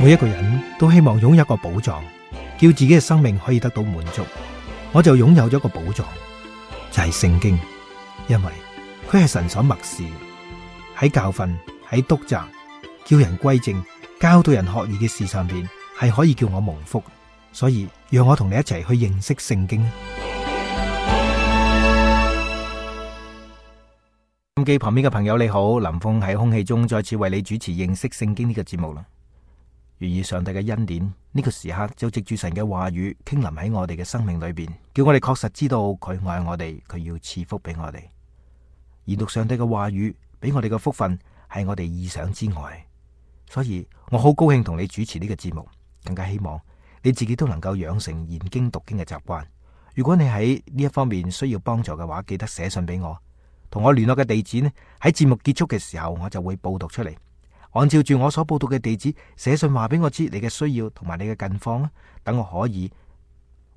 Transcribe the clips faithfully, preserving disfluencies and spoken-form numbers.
每一個人都希望擁有一個寶藏，叫自己嘅生命可以得到滿足。我就擁有咗一個寶藏，就係聖經，因為佢係神所默示，喺教訓、喺督責、叫人歸正、教導人學義嘅事上邊，係可以叫我蒙福。所以讓我同你一齊去認識聖經。手機旁邊嘅朋友你好，林峰喺空氣中再次為你主持認識聖經呢個節目啦。願意上帝嘅恩典，呢個時刻就藉住神嘅話語傾臨喺我哋嘅生命裏邊，叫我哋確實知道佢愛我哋，佢要賜福俾我哋。研讀上帝嘅話語俾我哋嘅福分係我哋意想之外，所以我好高興同你主持呢個節目，更加希望你自己都能夠養成研經讀經嘅習慣。如果你喺呢一方面需要幫助嘅話，記得寫信俾我，同我聯絡嘅地址呢，喺節目結束嘅時候我就會報讀出嚟。按照住我所報讀嘅地址寫信話俾我知你嘅需要同埋你嘅近況啦，等我可以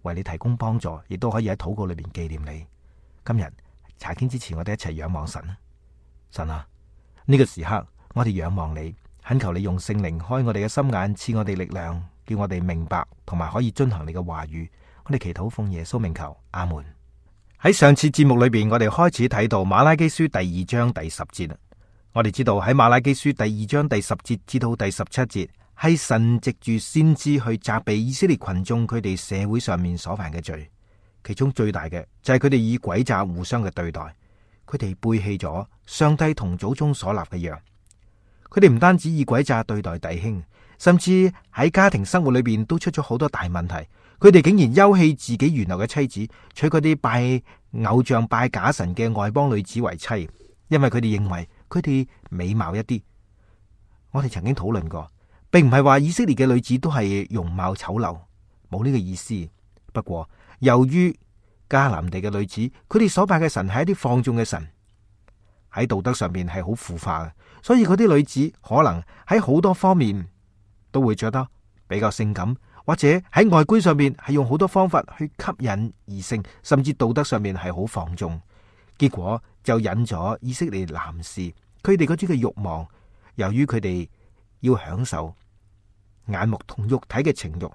為你提供幫助，亦都可以喺禱告裏邊紀念你。今日查經之前，我哋一齊仰望神啊！神啊，呢個時刻我哋仰望你，懇求你用聖靈開我哋嘅心眼，賜我哋力量，叫我哋明白同埋可以遵行你嘅話語。我哋祈禱奉耶穌名求，阿門。喺上次節目裏邊，我哋開始睇到馬拉基書第二章第十節啦。我哋知道喺馬拉基書第二章第十節至到第十七節，係神藉住先知去責備以色列群眾佢哋社會上面所犯嘅罪，其中最大嘅就係佢哋以詭詐互相嘅對待，佢哋背棄咗上帝同祖宗所立嘅約。佢哋唔單止以詭詐對待弟兄，甚至喺家庭生活裏邊都出咗好多大問題。佢哋竟然休棄自己原來嘅妻子，娶嗰啲拜偶像拜假神嘅外邦女子為妻，因為佢哋認為佢哋美貌一啲。我哋曾經討論過，並唔係話以色列嘅女子都係容貌醜陋，冇呢個意思。不過由於迦南地嘅女子，佢哋所拜嘅神係一啲放縱嘅神，喺道德上面係好腐化嘅，所以嗰啲女子可能喺好多方面都會着得比較性感，或者喺外觀上面係用好多方法去吸引異性，甚至道德上面係好放縱，結果就引咗以色列男士佢哋嗰啲嘅慾望。由於佢哋要享受眼目同肉體嘅情慾，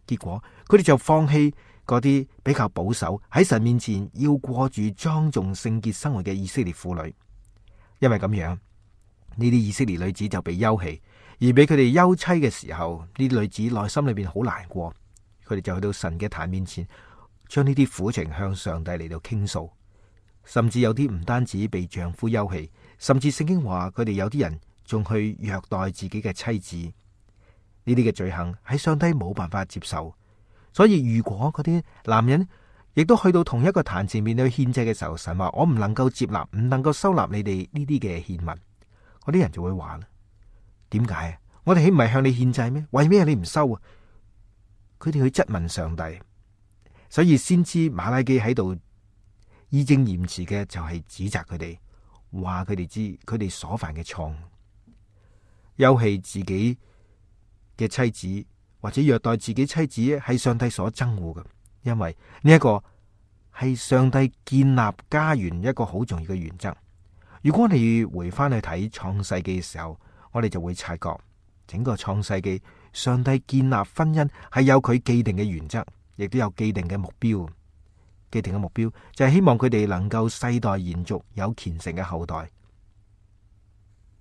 結果佢哋就放棄嗰啲比較保守喺神面前要過住莊重聖潔生活嘅以色列婦女。因為咁樣，呢啲以色列女子就被休棄，而俾佢哋休妻嘅時候，呢啲女子內心裏邊好難過，佢哋就去到神嘅壇面前，將呢啲苦情向上帝嚟到傾訴。甚至有啲唔單止被丈夫休棄，甚至聖經話佢哋有啲人仲去虐待自己嘅妻子。呢啲嘅罪行喺上帝冇辦法接受，所以如果嗰啲男人亦都去到同一個壇前面去獻祭嘅時候，神話我唔能夠接納，唔能夠收納你哋呢啲嘅獻物，嗰啲人就會話啦：點解啊？我哋豈唔係向你獻祭咩？為咩你唔收啊？佢哋去質問上帝，所以先知馬拉基喺度義正言辭嘅就係指責佢哋，話佢哋知佢哋所犯嘅錯誤，休棄自己嘅妻子或者虐待自己妻子係上帝所憎惡嘅，因為呢一個係上帝建立家園一個好重要嘅原則。如果我哋回翻去睇創世記嘅時候，我哋就會察覺整個創世記上帝建立婚姻係有佢既定嘅原則，亦都有既定嘅目標。既定嘅目標就係希望佢哋能夠世代延續，有虔誠嘅後代。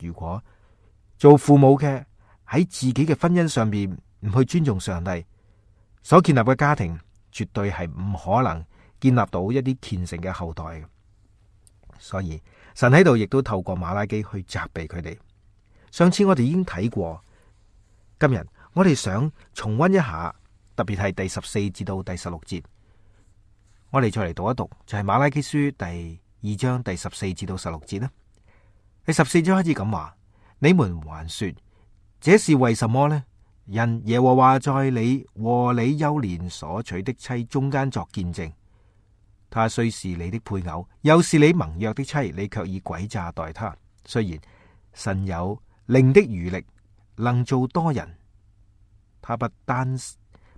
如果做父母嘅喺自己嘅婚姻上面唔去尊重上帝所建立嘅家庭，絕對係唔可能建立到一啲虔誠嘅後代嘅。所以神喺度亦都透過馬拉基去責備佢哋。上次我哋已經睇過，今日我哋想重溫一下，特別係第十四至到第十六節。我哋再嚟讀一讀，就係馬拉基書第二章第十四至到十六節啦。第十四章開始咁話：你們還說，這是為什麼呢？因耶和華在你和你幼年所娶的妻中間作見證，他雖是你的配偶，又是你盟約的妻，你卻以詭詐待他。雖然神有靈的餘力，能做多人，他不單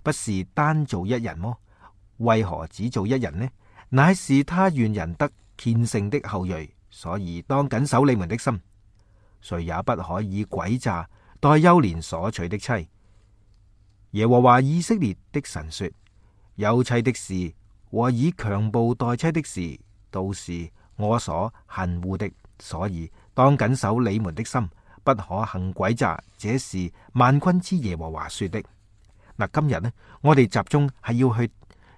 不是單做一人麼？為何只做一人呢？乃是他願人得虔誠的後裔，所以當謹守你們的心。誰也不可以詭詐待幼年所娶的妻，耶和華以色列的神說：休妻的事和以強暴待妻的事，都是我所恨惡的，所以當謹守你們的心，不可行詭詐。這是萬軍之耶和華說的。嗱，今日呢，我哋集中係要去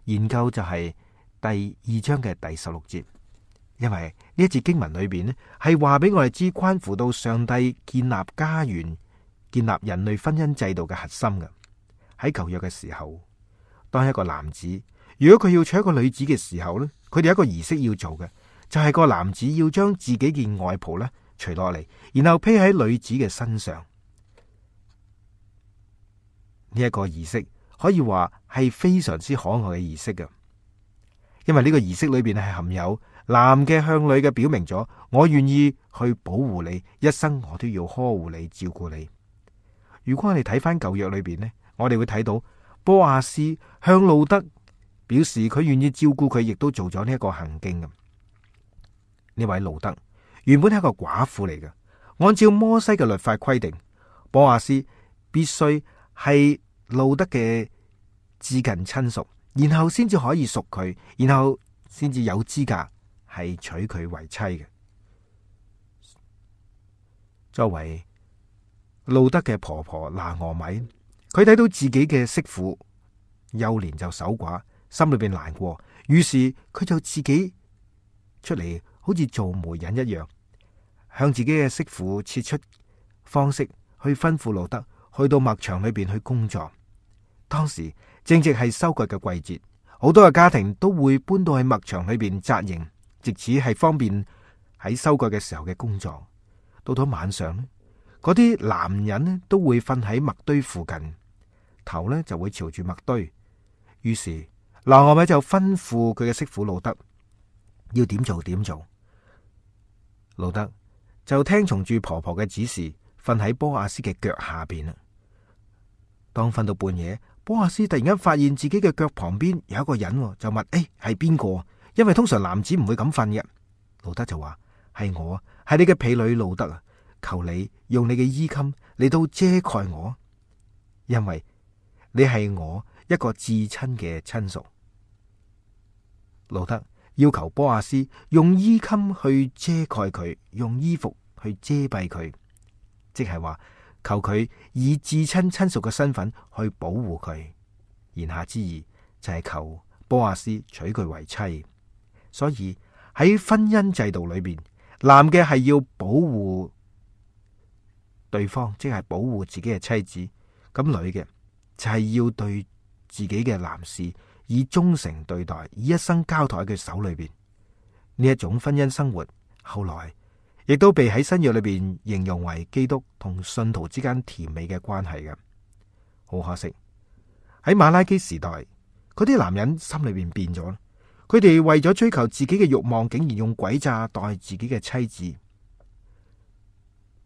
研究就係第二章嘅第十六節，因為呢一節經文裏邊呢係話俾我哋知，關乎到上帝建立家園、建立人類婚姻制度嘅核心嘅。喺舊約嘅時候，當一個男子如果佢要娶一個女子嘅時候呢，佢哋有一個儀式要做嘅，就係個男子要將自己件外袍呢除落嚟，然後披喺女子嘅身上。呢一個儀式可以話係非常之可愛嘅儀式嘅，因為呢個儀式裏邊係含有男嘅向女嘅表明咗，我願意去保護你，一生我都要呵護你、照顧你。如果我哋睇翻舊約裏邊呢，我哋會睇到波亞斯向路德表示佢願意照顧佢，亦都做咗呢一個行徑嘅。呢位路德原本係一個寡婦嚟嘅，按照摩西嘅律法規定，波亞斯必須係路德嘅至近親屬，然後先至可以屬佢，然後先至有資格係娶佢為妻嘅。作為路德嘅婆婆拿俄米，佢睇到自己嘅媳婦幼年就守寡，心裏邊難過，於是佢就自己出嚟，好似做媒人一樣，向自己嘅媳婦設出方式去吩咐路德去到麥場裏邊去工作。當時正值係收割嘅季節，好多嘅家庭都會搬到去麥場裏邊紮營，藉此係方便喺收割嘅時候嘅工作。到咗晚上呢，嗰啲男人呢都會瞓喺麥堆附近，頭呢就會朝住麥堆。於是拿俄米就吩咐佢嘅媳婦路德要點做點做。路德就聽從住婆婆嘅指示，瞓喺波亞斯嘅腳下邊啦。當瞓到半夜，波亞斯突然間發現自己嘅腳旁邊有一個人，就問：誒，係邊個？因為通常男子唔會咁瞓嘅。路德就話：係我，係你嘅婢女路德啊！求你用你嘅衣襟嚟到遮蓋我，因為你係我一個至親嘅親屬。路德要求波亞斯用衣襟去遮蓋佢，用衣服去遮蔽佢，即係話求佢以至親親屬嘅身份去保護佢。言下之意就係求波亞斯娶佢為妻。所以喺婚姻制度裏邊，男嘅係要保護對方，即係保護自己嘅妻子；咁女嘅就係要對自己嘅男士以忠誠對待，以一生交託喺佢手裏邊。呢一種婚姻生活，後來亦都被喺新約裏邊形容為基督同信徒之間甜美嘅關係嘅。好可惜，喺馬拉基時代，嗰啲男人心裏邊變咗，佢哋為咗追求自己嘅慾望，竟然用詭詐待自己嘅妻子。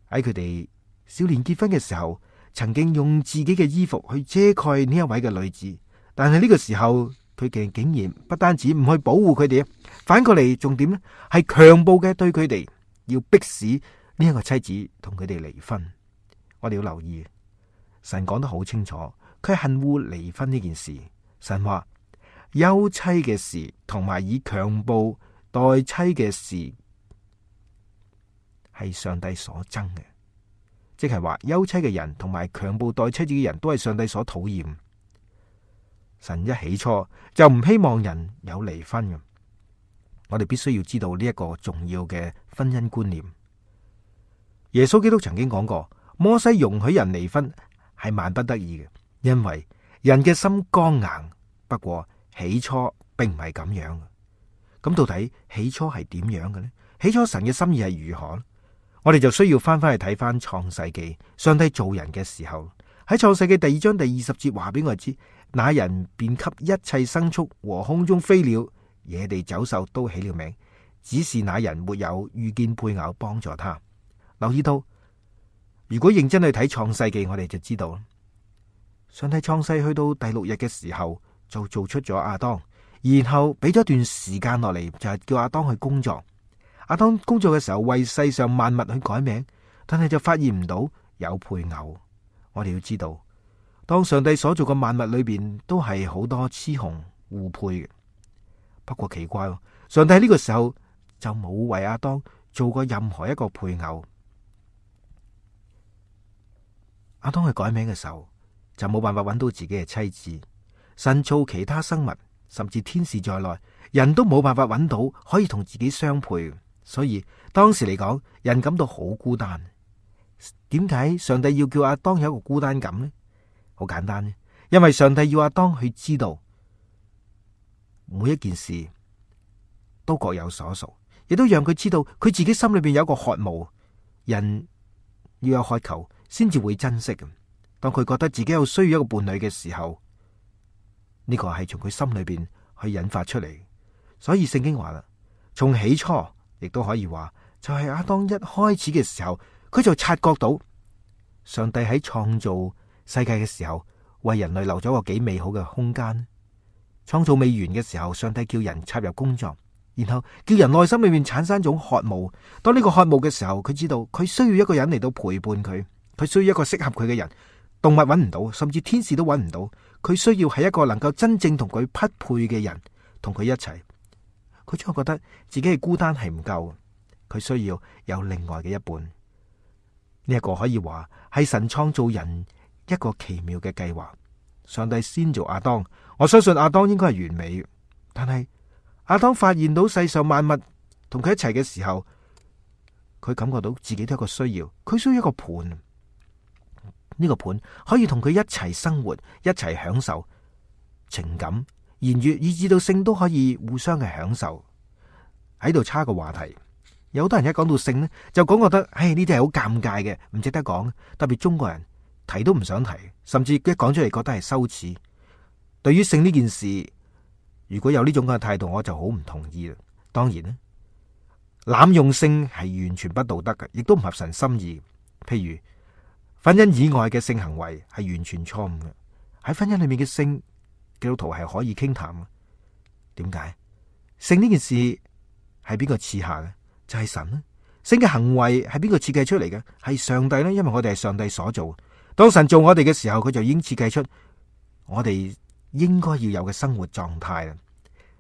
喺佢哋少年結婚嘅時候，曾經用自己嘅衣服去遮蓋呢一位嘅女子，但係呢個時候佢哋竟然不單止唔去保護佢哋，反過嚟仲點呢？係強暴嘅對佢哋，要逼使呢一個妻子同佢哋離婚。我哋要留意，神講得好清楚，佢恨惡離婚呢件事。神話休妻嘅事同埋以強暴待妻嘅事係上帝所憎嘅。即係話休妻嘅人同埋強暴待妻子嘅人都係上帝所討厭。神一起初就唔希望人有離婚嘅。我哋必須要知道呢一個重要嘅婚姻觀念。耶穌基督曾經講過，摩西容許人離婚係萬不得已嘅，因為人嘅心剛硬。不過起初並唔係咁樣。咁到底起初係點樣嘅呢？起初神嘅心意係如何呢？我哋就需要翻翻去睇翻創世記，上帝造人嘅時候，喺創世記第二章第二十節話俾我哋知，那人便給一切牲畜和空中飛鳥、野地走獸都起了名，只是那人沒有遇見配偶幫助他。留意到，如果認真去睇創世記，我哋就知道，上帝創世去到第六日嘅時候，就做出咗亞當，然後俾咗一段時間落嚟，就係叫亞當去工作。亞當工作嘅時候，為世上萬物去改名，但係就發現唔到有配偶。我哋要知道，當上帝所做嘅萬物裏邊都係好多雌雄互配嘅。不過奇怪，上帝喺呢個時候就冇為亞當做過任何一個配偶。亞當去改名嘅時候就冇辦法揾到自己嘅妻子。神造其他生物，甚至天使在內，人都冇辦法揾到可以同自己相配。所以當時嚟講，人感到好孤單。點解上帝要叫亞當有一個孤單感呢？好簡單呢，因為上帝要亞當去知道每一件事都各有所屬，亦都讓佢知道佢自己心裏邊有一個渴慕。人要有渴求先至會珍惜。當佢覺得自己有需要一個伴侶嘅時候，呢個係從佢心裏邊去引發出嚟。所以聖經話啦，從起初亦都可以話，就係亞當一開始嘅時候，佢就察覺到上帝喺創造世界嘅時候，為人類留咗個幾美好嘅空間。創造未完嘅時候，上帝叫人插入工作，然後叫人內心裏面產生一種渴慕。當呢個渴慕嘅時候，佢知道佢需要一個人嚟到陪伴佢，佢需要一個適合佢嘅人。動物揾唔到，甚至天使都揾唔到，佢需要係一個能夠真正同佢匹配嘅人同佢一齊。佢總係覺得自己係孤單係唔夠，佢需要有另外嘅一半。呢一個可以話係神創造人一個奇妙嘅計劃。上帝先做亞當，我相信亞當應該係完美，但係亞當發現到世上萬物同佢一齊嘅時候，佢感覺到自己都有一個需要，佢需要一個伴。呢個伴可以同佢一齊生活，一齊享受情感、言語，以至到性都可以互相嘅享受。喺度插個話題，有好多人一講到性呢，就講覺得，唉，呢啲係好尷尬嘅，唔值得講。特別中國人提都唔想提，甚至一講出嚟覺得係羞恥。對於性呢件事，如果有呢種嘅態度，我就好唔同意啦。當然咧，濫用性係完全不道德嘅，亦都唔合神心意。譬如婚姻以外嘅性行為係完全錯誤嘅。喺婚姻裏面嘅性，基督徒係可以傾談嘅。點解？性呢件事係邊個賜下嘅？就係神啦。性嘅行為係邊個設計出嚟嘅？係上帝啦。因為我哋係上帝所做。當神做我哋嘅時候，佢就已經設計出我哋應該要有嘅生活狀態啦。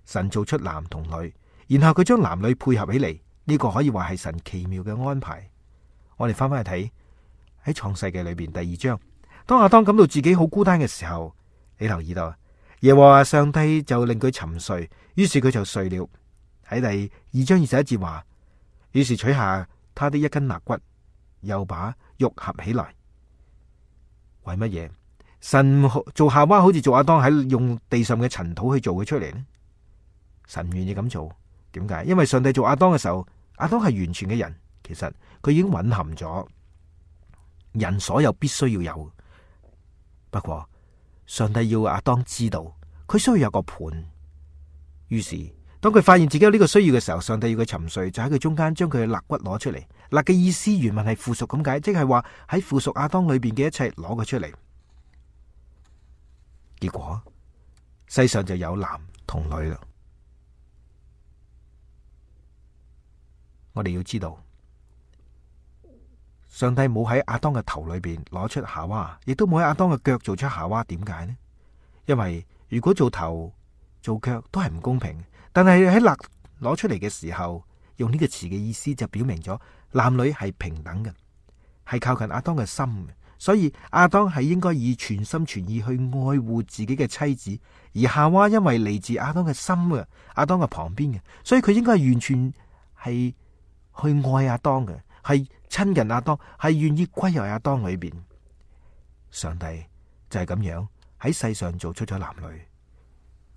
神做出男同女，然後佢將男女配合起嚟，呢個可以話係神奇妙嘅安排。我哋翻翻去睇。喺創世記裏邊第二章，當亞當感到自己好孤單嘅時候，你留意到耶和華上帝就令佢沉睡，於是佢就睡了。喺第二章二十一節話，於是取下他的一根肋骨，又把肉合起來。為乜嘢？神做夏娃好似做亞當喺用地上嘅塵土去做佢出嚟呢？神唔願意咁做，點解？因為上帝做亞當嘅時候，亞當係完全嘅人，其實佢已經蘊含咗人所有必須要有。不過上帝要亞當知道佢需要有個伴，於是當佢發現自己有呢個需要嘅時候，上帝要佢沉睡，就喺佢中間將佢嘅肋骨攞出嚟。肋嘅意思原文係附屬咁解，即係話喺附屬亞當裏邊嘅一切攞佢出嚟。結果世上就有男同女啦。我哋要知道，上帝冇喺亞當嘅頭裏邊攞出夏娃，亦都冇喺亞當嘅腳做出夏娃。點解呢？因為如果做頭做腳都係唔公平，但係喺肋攞出嚟嘅時候，用呢個詞嘅意思就表明咗男女係平等嘅，係靠近亞當嘅心嘅。所以亞當係應該以全心全意去愛護自己嘅妻子，而夏娃因為嚟自亞當嘅心嘅，亞當嘅旁邊嘅，所以佢應該係完全係去愛亞當嘅，係親近亞當，係願意歸入亞當裏邊。上帝就係咁樣喺世上做出咗男女。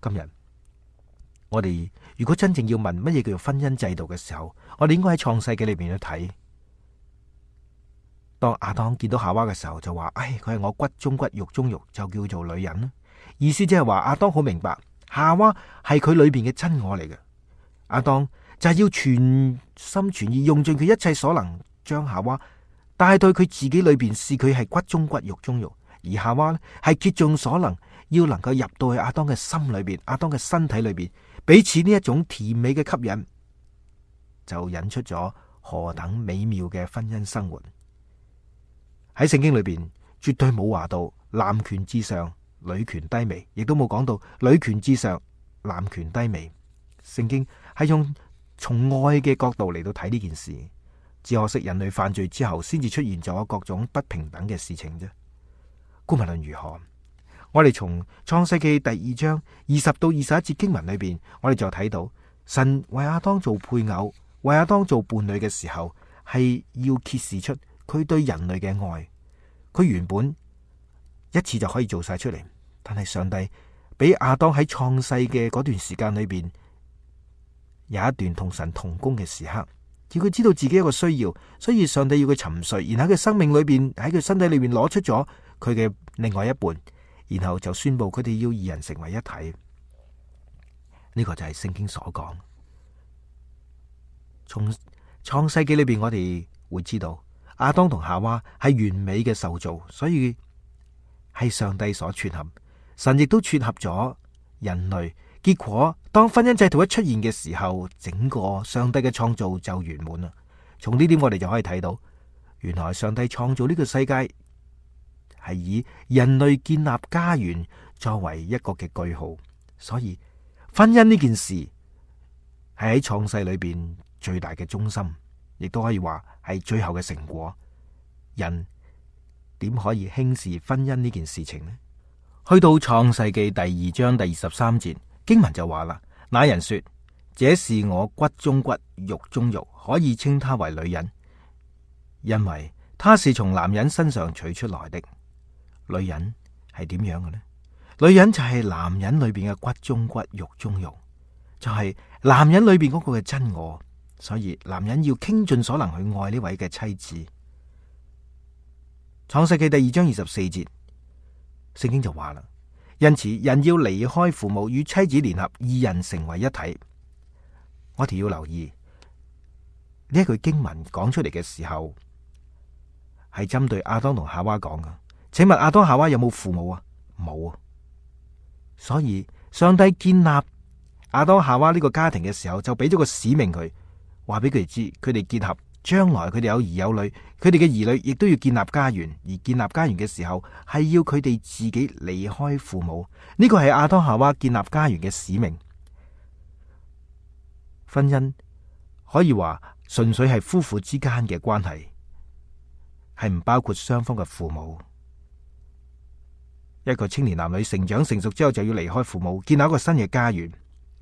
今日我哋如果真正要問乜嘢叫做婚姻制度嘅時候，我哋應該喺創世記裏邊去睇。當亞當見到夏娃嘅時候，就話：唉，佢係我骨中骨肉中肉，就叫做女人啦。意思即係話亞當好明白夏娃係佢裏邊嘅真我嚟嘅。亞當就係要全心全意用盡佢一切所能，將夏娃帶到佢自己裏邊，視佢係骨中骨肉中肉。而夏娃呢，係竭盡所能，要能夠入到去亞當嘅心裏邊，亞當嘅身體裏邊，彼此呢一種甜美嘅吸引，就引出咗何等美妙嘅婚姻生活。喺聖經裏邊絕對冇話到男權至上，女權低微，亦都冇講到女權至上，男權低微。聖經係用從愛嘅角度嚟到睇呢件事，只可惜人類犯罪之後，先至出現咗各種不平等嘅事情啫。無論如何，我哋從創世記第二章二十到二十一節經文裏邊，我哋就睇到神為亞當做配偶，為亞當做伴侶嘅時候，係要揭示出佢對人類嘅愛。佢原本一次就可以做晒出嚟，但係上帝俾亞當喺創世嘅嗰段時間裏邊，有一段同神同工嘅時刻，叫佢知道自己一個需要，所以上帝要佢沉睡，然後喺佢生命裏邊，喺佢身體裏邊攞出咗佢嘅另外一半，然後就宣布佢哋要二人成為一體。呢個就係聖經所講。從創世記裏邊，我哋會知道亞當同夏娃係完美嘅受造，所以係上帝所撮合，神亦都撮合咗人類。結果當婚姻制度一出現嘅時候，整個上帝嘅創造就圓滿啦。從呢點我哋就可以睇到，原來上帝創造呢個世界係以人類建立家園作為一個嘅句號，所以婚姻呢件事係喺創世裏邊最大嘅中心，亦都可以話係最後嘅成果。人點可以輕視婚姻呢件事情呢？去到創世記第二章第二十三節。經文就話啦，那人說：這是我骨中骨，肉中肉，可以稱他為女人，因為他是從男人身上取出來的。女人係點樣嘅呢？女人就係男人裏邊嘅骨中骨，肉中肉，就係男人裏邊嗰個嘅真我。所以男人要傾盡所能去愛呢位嘅妻子。創世記第二章二十四節，聖經就話啦。因此，人要離開父母，與妻子聯合，二人成為一體。我哋要留意呢一句經文講出嚟嘅時候，係針對亞當同夏娃講噶。請問亞當夏娃有冇父母啊？冇啊。所以上帝建立亞當夏娃呢個家庭嘅時候，就俾咗個使命佢，話俾佢哋知，佢哋結合，將來佢哋有兒有女，佢哋嘅兒女亦都要建立家園，而建立家園嘅時候係要佢哋自己離開父母。呢個係亞當夏娃建立家園嘅使命。婚姻可以話純粹係夫婦之間嘅關係，係唔包括雙方嘅父母。一個青年男女成長成熟之後就要離開父母，建立一個新嘅家園。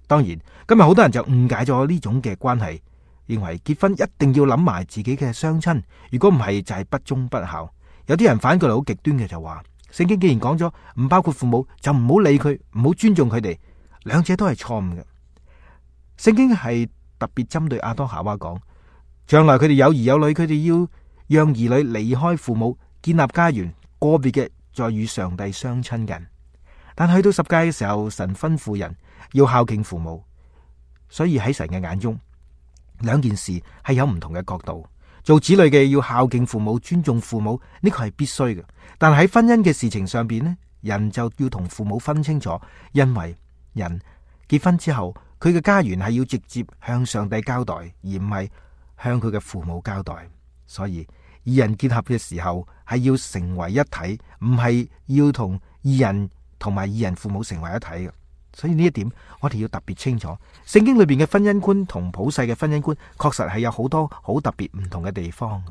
當然今日好多人就誤解咗呢種嘅關係，認為結婚一定要諗埋自己嘅雙親，如果唔係就係不忠不孝。有啲人反過嚟好極端嘅就話，聖經既然講咗唔包括父母，就唔好理佢，唔好尊重佢哋，兩者都係錯誤嘅。聖經係特別針對亞當夏娃講，將來佢哋有兒有女，佢哋要讓兒女離開父母，建立家園，個別嘅再與上帝相親近。但去到十誡嘅時候，神吩咐人要孝敬父母，所以喺神嘅眼中，兩件事係有唔同嘅角度。做子女嘅要孝敬父母，尊重父母，呢個係必須嘅。但喺婚姻嘅事情上邊呢，人就要同父母分清楚，因為人結婚之後，佢嘅家園係要直接向上帝交代，而唔係向佢嘅父母交代。所以二人結合嘅時候係要成為一體，唔係要同二人同埋二人父母成為一體嘅。所以呢一點我哋要特別清楚，聖經裏邊嘅婚姻觀同普世嘅婚姻觀確實係有好多好特別唔同嘅地方。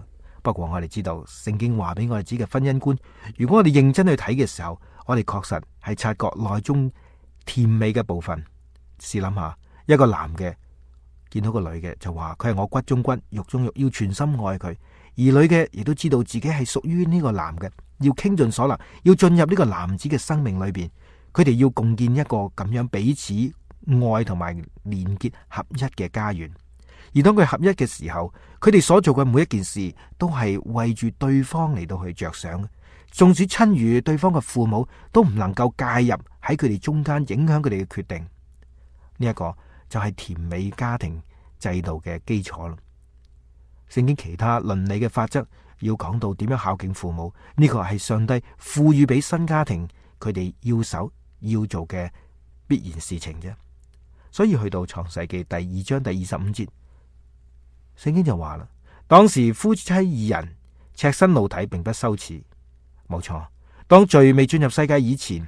不過我哋知道聖經話俾我哋知嘅婚姻觀，如果我哋認真去睇嘅時候，我哋確實係察覺內中甜美嘅部分。試諗下，一個男嘅見到個女嘅就話佢係我骨中骨肉中肉，要全心愛佢；而女嘅亦都知道自己係屬於呢個男嘅，要傾盡所能，要進入呢個男子嘅生命裏邊。佢哋要共建一個咁樣彼此愛同埋連結合一嘅家園，而當佢合一嘅時候，佢哋所做嘅每一件事都係為住對方嚟到去着想。縱使親如對方嘅父母，都唔能夠介入喺佢哋中間，影響佢哋嘅決定。呢一個就係甜美家庭制度嘅基礎咯。聖經其他倫理嘅法則要講到點樣孝敬父母，呢個係上帝賦予俾新家庭佢哋要守要做嘅必然事情啫。所以去到創世記第二章第二十五節，聖經就話啦：當時夫妻二人赤身露體，並不羞恥，冇錯，當罪未進入世界以前，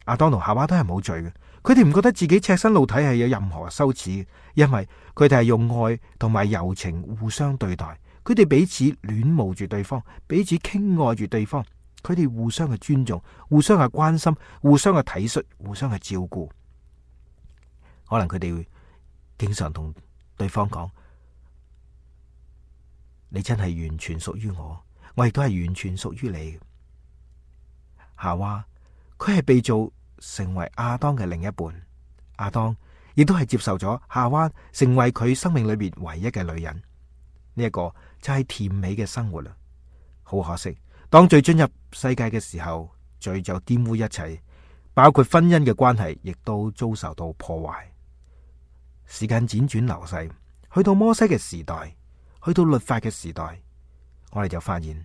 亞當同夏娃都係冇罪嘅。佢哋唔覺得自己赤身露體係有任何羞恥，因為佢哋係用愛同埋柔情互相對待，佢哋彼此戀慕住對方，彼此傾愛住對方，佢哋互相嘅尊重，互相嘅關心，互相嘅體恤，互相嘅照顧。可能佢哋會經常同對方講：你真係完全屬於我，我亦都係完全屬於你。夏娃佢係被造成為亞當嘅另一半，亞當亦都係接受咗夏娃成為佢生命裏邊唯一嘅女人。呢一個就係甜美嘅生活啦。好可惜，當罪進入世界嘅時候，罪就玷污一切，包括婚姻嘅關係，亦都遭受到破壞。時間輾轉流逝，去到摩西嘅時代，去到律法嘅時代，我哋就發現，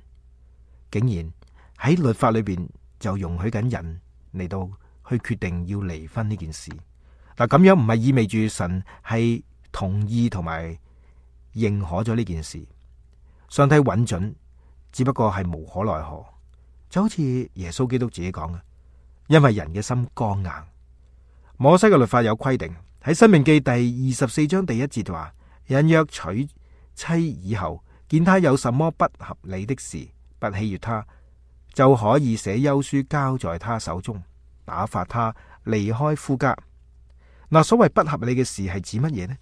竟然喺律法裏邊就容許緊人嚟到去決定要離婚呢件事。嗱，咁樣唔係意味住神係同意同埋認可咗呢件事，上帝允准，只不過係無可奈何。就好似耶穌基督自己講嘅，因為人嘅心剛硬。摩西嘅律法有規定，喺申命記第二十四章第一節話：人若娶妻以後，見他有什麼不合理的事，不喜悦他，就可以寫休書交在他手中，打發他離開夫家。嗱，所謂不合理嘅事係指乜嘢呢？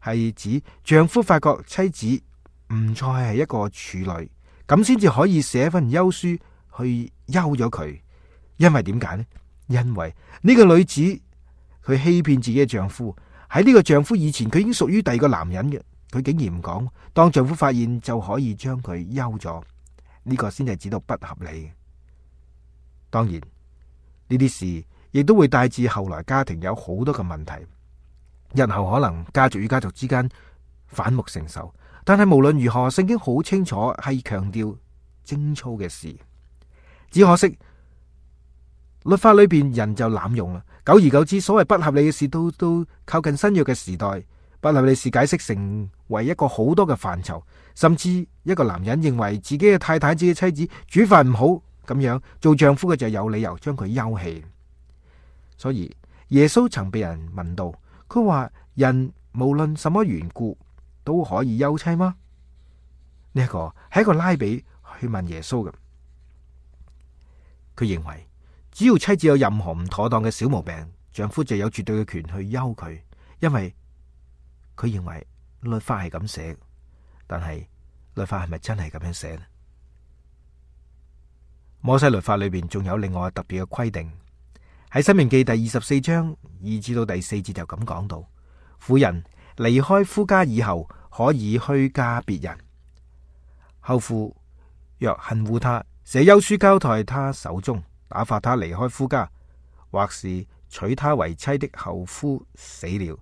係指丈夫發覺妻子唔再係一個處女，咁先至可以寫份休書去休咗佢。因為點解呢？因為呢個女子佢欺騙自己嘅丈夫，喺呢個丈夫以前佢已經屬於第二個男人嘅，佢竟然唔講，當丈夫發現就可以將佢休咗，呢個先係指到不合理。當然呢啲事亦都會帶致後來家庭有好多嘅問題，日後可能家族與家族之間反目成仇。但係無論如何，聖經好清楚係強調貞操嘅事。只可惜律法裏邊人就濫用啦，久而久之，所謂不合理嘅事都都靠近新約嘅時代，不合理事解釋成為一個好多嘅範疇，甚至一個男人認為自己嘅太太、自己嘅妻子煮飯唔好，咁樣做丈夫嘅就有理由將佢休棄。所以耶穌曾被人問到，佢話人無論什麼緣故都可以休妻嗎？呢一個係一個拉比去問耶穌嘅，佢認為只要妻子有任何唔妥當嘅小毛病，丈夫就有絕對嘅權去休佢，因為佢認為律法係咁寫。但係律法係咪真係咁樣寫呢？摩西律法裏邊仲有另外特別嘅規定，喺申命記第二十四章二至到第四節就咁講到：婦人離開夫家以後，可以許嫁別人。後父若恨惡他，寫休書交在他手中，打發他離開夫家，或是娶她為妻的後夫死了，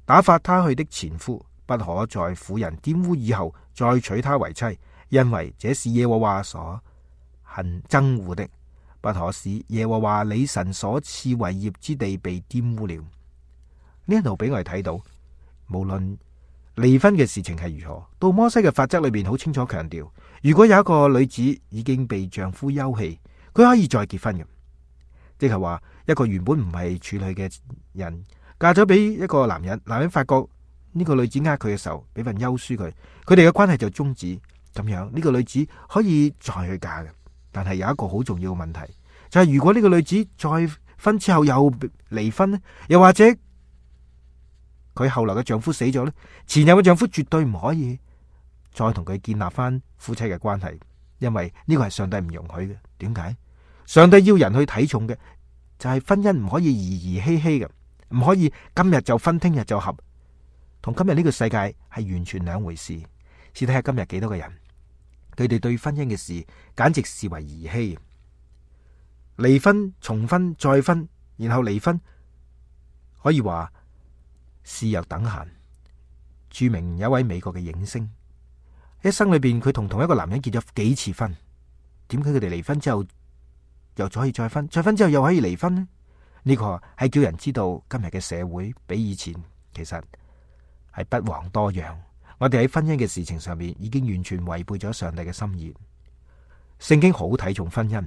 打發他去的前夫，不可在婦人玷污以後再娶她為妻，因為這是耶和華所恨憎惡的。不可使耶和華你神所賜為業之地被玷污了。呢一度俾我哋睇到，無論離婚嘅事情係如何，到摩西嘅法則裏邊好清楚強調，如果有一個女子已經被丈夫休棄，佢可以再結婚嘅，即係話一個原本唔係處女嘅人嫁咗俾一個男人，男人發覺呢個女子呃佢嘅時候，俾份休書佢，佢哋嘅關係就終止，咁樣呢個女子可以再去嫁嘅。但係有一個好重要嘅問題，就係如果呢個女子再婚之後又離婚呢，又或者佢後來嘅丈夫死咗呢，前任嘅丈夫絕對唔可以再同佢建立翻夫妻嘅關係，因為呢個係上帝唔容許嘅。點解？上帝要人去睇重嘅就係婚姻唔可以兒兒戲戲嘅，唔可以今日就分，聽日就合，同今日呢個世界係完全兩回事。試睇下今日幾多個人，佢哋對婚姻嘅事簡直視為兒戲，離婚、重婚、再婚，然後離婚，可以話視若等閒。著名有一位美國嘅影星，一生裏邊佢同同一個男人結咗幾次婚，點解佢哋離婚之後又可以再婚，再婚之後又可以離婚呢？呢個係叫人知道今日嘅社會比以前其實係不遑多讓。我哋喺婚姻嘅事情上面已經完全違背咗上帝嘅心意。聖經好睇重婚姻，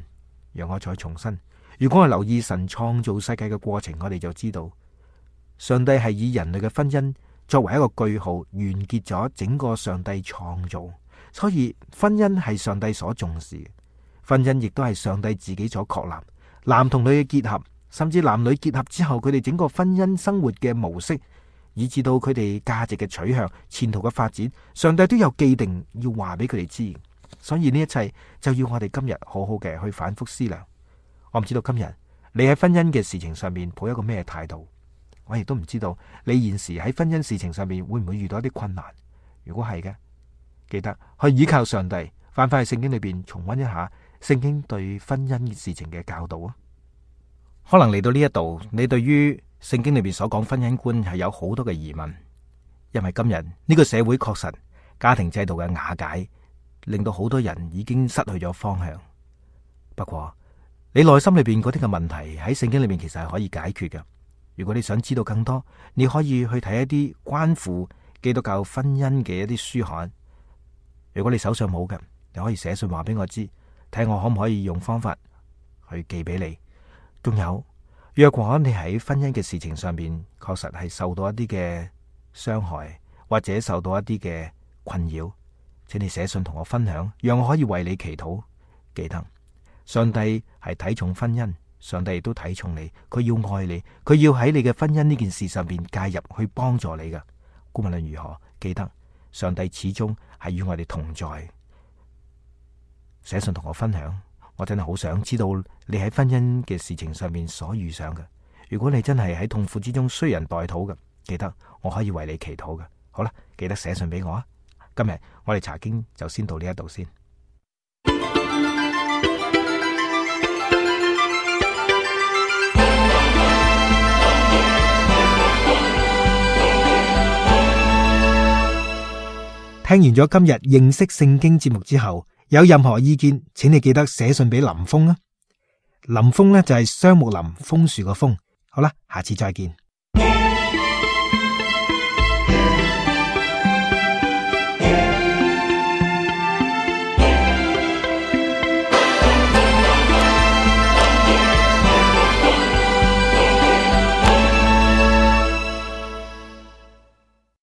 讓我再重申，如果我留意神創造世界嘅過程，我哋就知道上帝係以人類嘅婚姻作為一個句號，完結咗整個上帝創造。所以婚姻係上帝所重視，婚姻亦都係上帝自己所確立。男同女嘅結合，甚至男女結合之後，佢哋整個婚姻生活嘅模式，以至到佢哋價值嘅取向、前途嘅發展，上帝都有既定要話俾佢哋知。所以呢一切就要我哋今日好好嘅去反覆思量。我唔知道今日你喺婚姻嘅事情上面抱一個咩態度，我亦都唔知道你現時喺婚姻事情上面會唔會遇到一啲困難。如果係嘅，記得去依靠上帝，翻返去聖經裏邊重溫一下聖經對婚姻事情嘅教導啊。可能嚟到呢一度，你對於聖經裏邊所講婚姻觀係有好多嘅疑問，因為今日呢個社會確實家庭制度嘅瓦解，令到好多人已經失去咗方向。不過你內心裏邊嗰啲嘅問題喺聖經裏邊其實係可以解決嘅。如果你想知道更多，你可以去睇一啲關乎基督教婚姻嘅一啲書刊。如果你手上冇嘅，你可以寫信話俾我知，睇我可唔可以用方法去寄俾你。仲有，若果你喺婚姻嘅事情上邊確實係受到一啲嘅傷害，或者受到一啲嘅困擾，請你寫信同我分享，讓我可以為你祈禱。記得，上帝係睇重婚姻，上帝亦都睇重你，佢要愛你，佢要喺你嘅婚姻呢件事上邊介入去幫助你㗎。無論如何，記得上帝始終係與我哋同在。寫信同我分享，我真係好想知道你喺婚姻嘅事情上面所遇上嘅。如果你真係喺痛苦之中需人代禱嘅，記得我可以為你祈禱嘅。好啦，記得寫信俾我啊！今日我哋查經就先到呢一度先。聽完咗今日認識聖經節目之後，有任何意見，請你記得寫信俾林峰啊。林峰呢就係雙木林楓樹個楓。好啦，下次再見。